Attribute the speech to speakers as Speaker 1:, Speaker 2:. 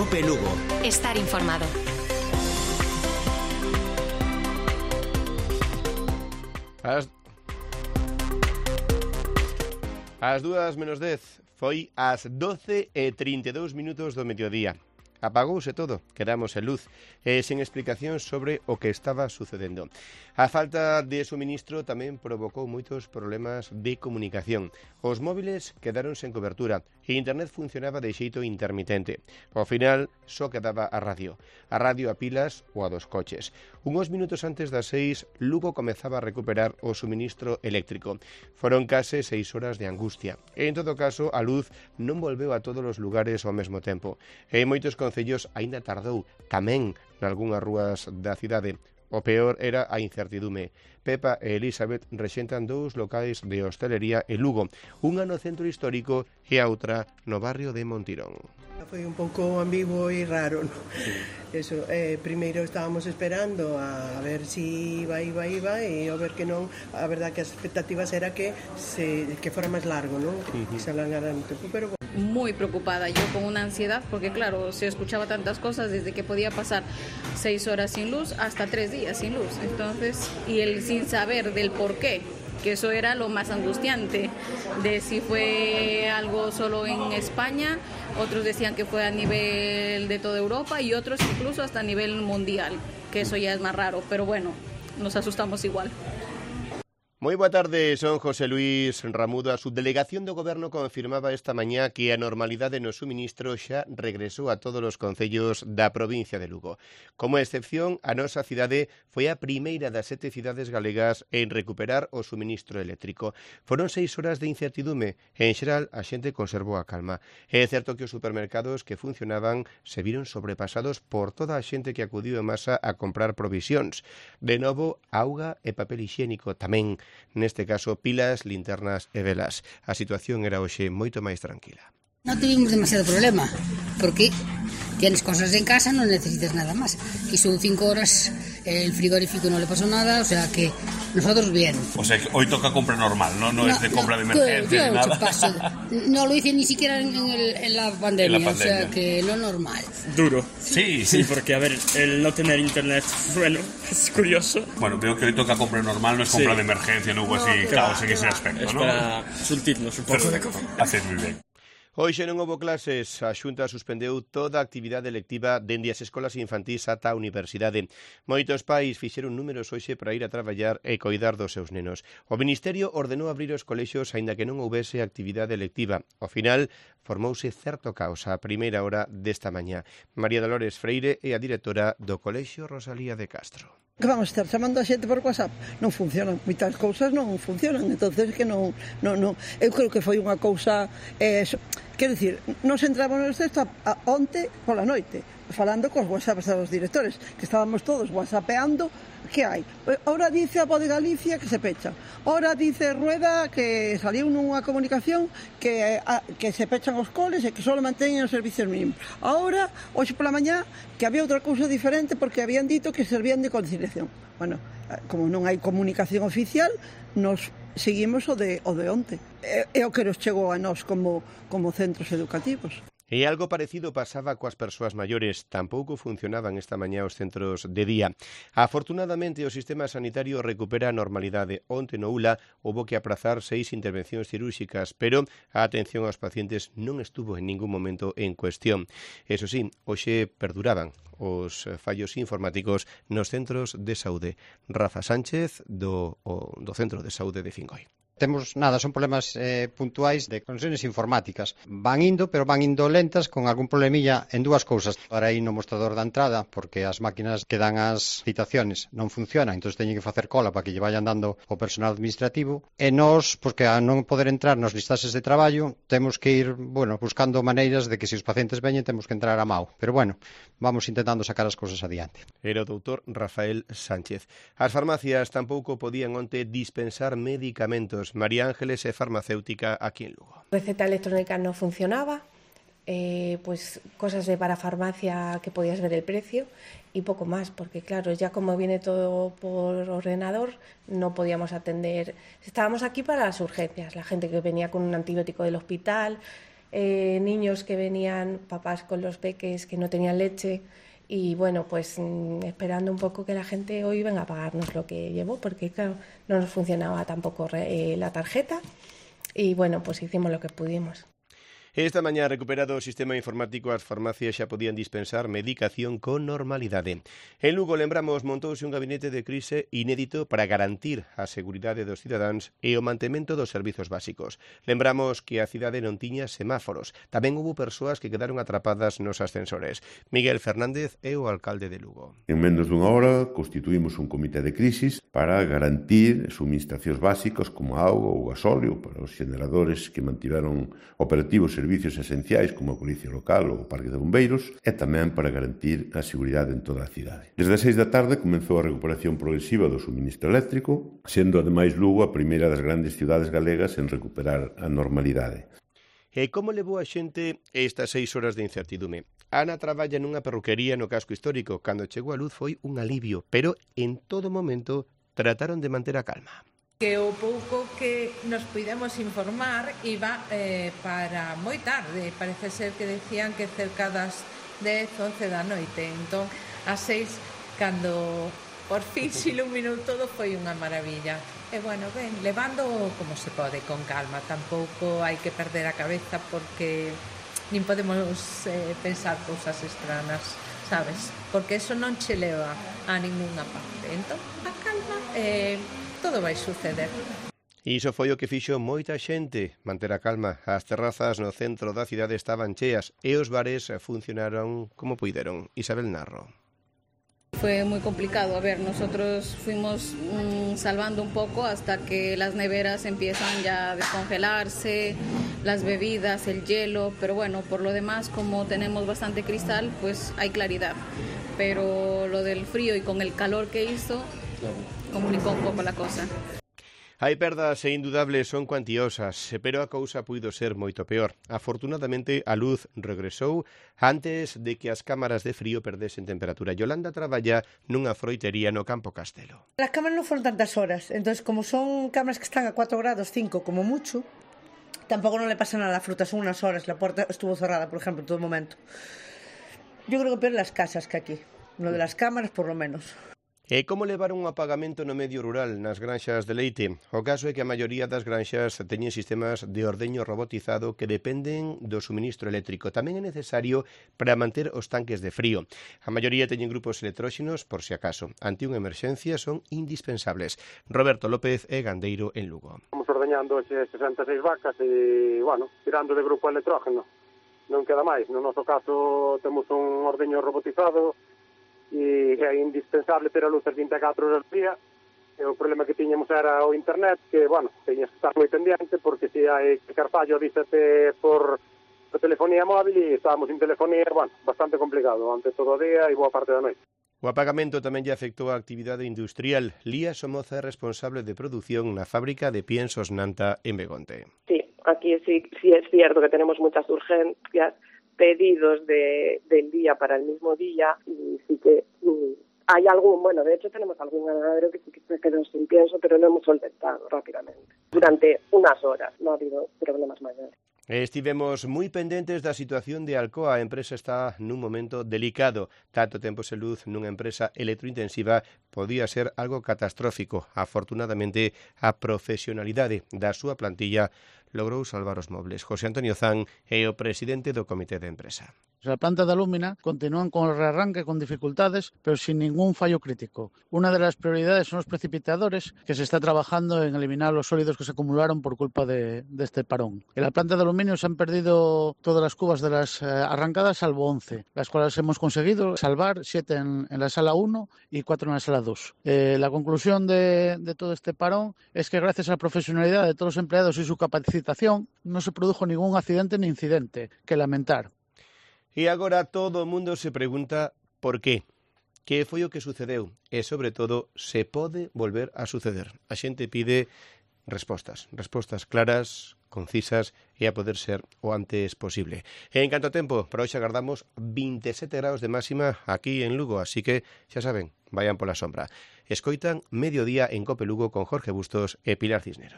Speaker 1: Cope Lugo.
Speaker 2: Estar informado.
Speaker 3: Ás 2:10, foi ás 12:32 do mediodía. Apagouse todo, quedamos en luz e sen explicación sobre o que estaba sucedendo. A falta de suministro tamén provocou moitos problemas de comunicación. Os móviles quedaron sen cobertura e internet funcionaba de xeito intermitente. Ao final, só quedaba a radio a pilas ou a dos coches. Unos minutos antes das 6, Lugo comezaba a recuperar o suministro eléctrico. Foron case 6 horas de angustia. E, en todo caso, a luz non volveu a todos os lugares ao mesmo tempo. E en moitos concellos aínda tardou, tamén nalgúnas rúas da cidade. O peor era a incertidume. Pepa e Elizabeth rexentan 2 locais de hostelería en Lugo, unha no centro histórico e a outra no barrio de Montirón.
Speaker 4: Foi un pouco ambiguo e raro, ¿no? Sí. Eso, primeiro estábamos esperando a ver si iba e ao ver que non, a verdad que as expectativas era que fora máis largo, ¿no? Que se alargara un tempo, pero
Speaker 5: muy preocupada yo con una ansiedad porque claro, se escuchaba tantas cosas desde que podía pasar 6 horas sin luz hasta 3 días sin luz, entonces, y el sin saber del por qué, que eso era lo más angustiante, de si fue algo solo en España, otros decían que fue a nivel de toda Europa y otros incluso hasta a nivel mundial, que eso ya es más raro, pero bueno, nos asustamos igual.
Speaker 3: Moi boa tarde, son José Luis Ramudo. A subdelegación do Goberno confirmaba esta mañá que a normalidade no suministro xa regresou a todos os concellos da provincia de Lugo. Como excepción, a nosa cidade foi a primeira das 7 cidades galegas en recuperar o suministro eléctrico. Foron 6 horas de incertidume e, en xeral, a xente conservou a calma. É certo que os supermercados que funcionaban se viron sobrepasados por toda a xente que acudiu en masa a comprar provisións. De novo, auga e papel higiénico tamén. Neste caso, pilas, linternas e velas. A situación era hoxe moito máis tranquila.
Speaker 6: No tuvimos demasiado problema, porque tienes cosas en casa, no necesitas nada más. Y son 5 horas, el frigorífico no le pasó nada, o sea que nosotros bien.
Speaker 7: O sea que hoy toca compra normal, no es de compra de emergencia ni nada.
Speaker 6: No lo hice ni siquiera en la pandemia, o sea que lo normal.
Speaker 8: Duro.
Speaker 7: Sí,
Speaker 8: porque a ver, el no tener internet, bueno, es curioso.
Speaker 7: Bueno, veo que hoy toca compra normal, no es compra de emergencia, no hubo así caos en ese aspecto,
Speaker 8: es
Speaker 7: ¿no?
Speaker 8: Para surtirnos un poco de cosas.
Speaker 7: Haces muy bien.
Speaker 3: Hoxe non houbo clases, a Xunta suspendeu toda a actividade lectiva dende as escolas infantís ata a universidade. Moitos pais fixeron números hoxe para ir a traballar e coidar dos seus nenos. O Ministerio ordenou abrir os colexios aínda que non houbese actividade lectiva. Ao final, formouse certo caos a primeira hora desta mañá. María Dolores Freire é a directora do Colexio Rosalía de Castro.
Speaker 4: Que vamos estar chamando a xente por WhatsApp? Non funcionan, moitas cousas non funcionan, entonces que non. Eu creo que foi unha cousa, quero dicir, nos entramos no texto onte pola noite, falando cos WhatsApps dos directores, que estábamos todos whatsappeando. Que hai? Ora dice a Voz de Galicia que se pecha. Ora dice Rueda que saliu nunha comunicación que se pechan os coles e que só manteñen os servicios mínimos. Ahora, hoxe pola mañá, que había outra cousa diferente porque habían dito que servían de conciliación. Bueno, como non hai comunicación oficial, nos seguimos o de onte. É o que nos chegou a nós como centros educativos.
Speaker 3: E algo parecido pasaba coas persoas maiores. Tampouco funcionaban esta mañá os centros de día. Afortunadamente, o sistema sanitario recupera a normalidade. Onte no ULA houbo que aprazar 6 intervencións cirúrxicas, pero a atención aos pacientes non estuvo en ningún momento en cuestión. Eso sí, hoxe perduraban os fallos informáticos nos centros de saúde. Rafa Sánchez, do Centro de Saúde de Fingoi.
Speaker 9: Temos nada, son problemas puntuais de conexiones informáticas. Van indo, pero van indo lentas con algún problemilla en dúas cousas. Para ir no mostrador da entrada, porque as máquinas que dan as citaciones non funcionan, entón teñen que facer cola para que lle vayan dando o personal administrativo. E nós, porque a non poder entrar nos listaxes de traballo, temos que ir, buscando maneiras de que se os pacientes veñen, temos que entrar a mao. Pero vamos intentando sacar as cousas adiante.
Speaker 3: Era o doutor Rafael Sánchez. As farmacias tampouco podían onte dispensar medicamentos. María Ángeles é farmacéutica aquí en Lugo.
Speaker 10: Receta electrónica no funcionaba, pues cosas de parafarmacia que podías ver el precio y poco más, porque claro, ya como viene todo por ordenador, no podíamos atender. Estábamos aquí para las urgencias, la gente que venía con un antibiótico del hospital niños que venían, papás con los peques que no tenían leche, y bueno, pues esperando un poco que la gente hoy venga a pagarnos lo que llevó, porque claro, no nos funcionaba tampoco la tarjeta, y bueno, pues hicimos lo que pudimos.
Speaker 3: Esta mañá recuperado o sistema informático, as farmacias xa podían dispensar medicación con normalidade. En Lugo, lembramos, montouse un gabinete de crise inédito para garantir a seguridade dos cidadáns e o mantemento dos servizos básicos. Lembramos que a cidade non tiña semáforos. Tamén houve persoas que quedaron atrapadas nos ascensores. Miguel Fernández é o alcalde de Lugo.
Speaker 1: En menos dunha hora constituímos un comité de crisis para garantir suministracións básicos como auga ou gasóleo para os xeneradores que mantiveron operativos servicios esenciais como a Policía Local ou o Parque de Bombeiros e tamén para garantir a seguridade en toda a cidade. Desde as 6 da tarde comezou a recuperación progresiva do suministro eléctrico, sendo ademais Lugo a primeira das grandes cidades galegas en recuperar a normalidade.
Speaker 3: E como levou a xente estas 6 horas de incertidume? Ana traballa nunha perruquería no casco histórico. Cando chegou a luz foi un alivio, pero en todo momento trataron de manter a calma.
Speaker 2: Que o pouco que nos puidemos informar iba para moi tarde. Parece ser que decían que cerca das 10, 11 da noite. Entón, ás 6, cando por fin se iluminou todo, foi unha maravilla. E bueno, ben, levando como se pode, con calma. Tampouco hai que perder a cabeza porque nin podemos pensar cousas extranas, sabes? Porque eso non che leva a ninguna parte. Entón, a calma todo vai suceder.
Speaker 3: Iso foi o que fixo moita xente, manter a calma. As terrazas no centro da cidade estaban cheas e os bares funcionaron como puideron. Isabel Narro.
Speaker 5: Fue muy complicado. A ver, nosotros fuimos salvando un poco hasta que las neveras empiezan ya a descongelarse, las bebidas, el hielo, pero bueno, por lo demás, como tenemos bastante cristal, pues hay claridad. Pero lo del frío y con el calor que hizo, complicó un pouco a cosa.
Speaker 3: Hai perdas e indudables son cuantiosas, pero a cousa puido ser moito peor. Afortunadamente, a luz regresou antes de que as cámaras de frío perdesen temperatura. Yolanda traballa nunha froitería no Campo Castelo.
Speaker 11: Las cámaras non foron tantas horas, entonces como son cámaras que están a 4 grados, 5 como mucho, tampoco non le pasa nada a la fruta, son unas horas, la puerta estuvo cerrada, por ejemplo, en todo momento. Yo creo que peor las casas que aquí, lo de las cámaras por lo menos.
Speaker 3: E como levar un apagamento no medio rural nas granxas de leite? O caso é que a maioría das granxas teñen sistemas de ordeño robotizado que dependen do suministro eléctrico. Tamén é necesario para manter os tanques de frío. A maioría teñen grupos electróxenos por si acaso. Ante unha emerxencia son indispensables. Roberto López é gandeiro en Lugo.
Speaker 12: Estamos ordeñando 66 vacas e, bueno, tirando de grupo electrógeno. Non queda máis. No noso caso temos un ordeño robotizado e é indispensable ter a luz 24 horas ao día. E o problema que tiñamos era o internet, que, bueno, teñas que estar moi pendiente, porque se hai que carfallo dícete por telefonía móvil e estábamos sin telefonía, bueno, bastante complicado, ante todo o día e boa parte da noite.
Speaker 3: O apagamento tamén lle afectou a actividade industrial. Lía Somoza é responsable de produción na fábrica de piensos Nanta en Begonte.
Speaker 13: Sí, aquí sí es cierto que tenemos muchas urgencias, pedidos del día para el mismo día, y sí que hay algún, bueno, de hecho tenemos algún ganadero que sí que se quedó sin pienso, pero lo hemos solventado rápidamente. Durante unas horas, no ha habido problemas mayores.
Speaker 3: Estivemos moi pendentes da situación de Alcoa. A empresa está nun momento delicado. Tanto tempo sen luz nunha empresa electrointensiva podía ser algo catastrófico. Afortunadamente, a profesionalidade da súa plantilla logrou salvar os mobles. José Antonio Zan é o presidente do comité de empresa.
Speaker 14: La planta de Alúmina continúan con el rearranque con dificultades, pero sin ningún fallo crítico. Una de las prioridades son los precipitadores, que se está trabajando en eliminar los sólidos que se acumularon por culpa de este parón. En la planta de aluminio se han perdido todas las cubas de las arrancadas, salvo 11, las cuales hemos conseguido salvar 7 en la sala 1 y 4 en la sala 2. La conclusión de todo este parón es que gracias a la profesionalidad de todos los empleados y su capacitación no se produjo ningún accidente ni incidente que lamentar.
Speaker 3: E agora todo o mundo se pregunta por qué. Que foi o que sucedeu? E, sobre todo, se pode volver a suceder. A xente pide respostas claras, concisas e a poder ser o antes posible. E en canto a tempo, para hoxe agardamos 27 graus de máxima aquí en Lugo, así que, xa saben, vayan pola sombra. Escoitan Mediodía en Cope Lugo con Jorge Bustos e Pilar Cisneros.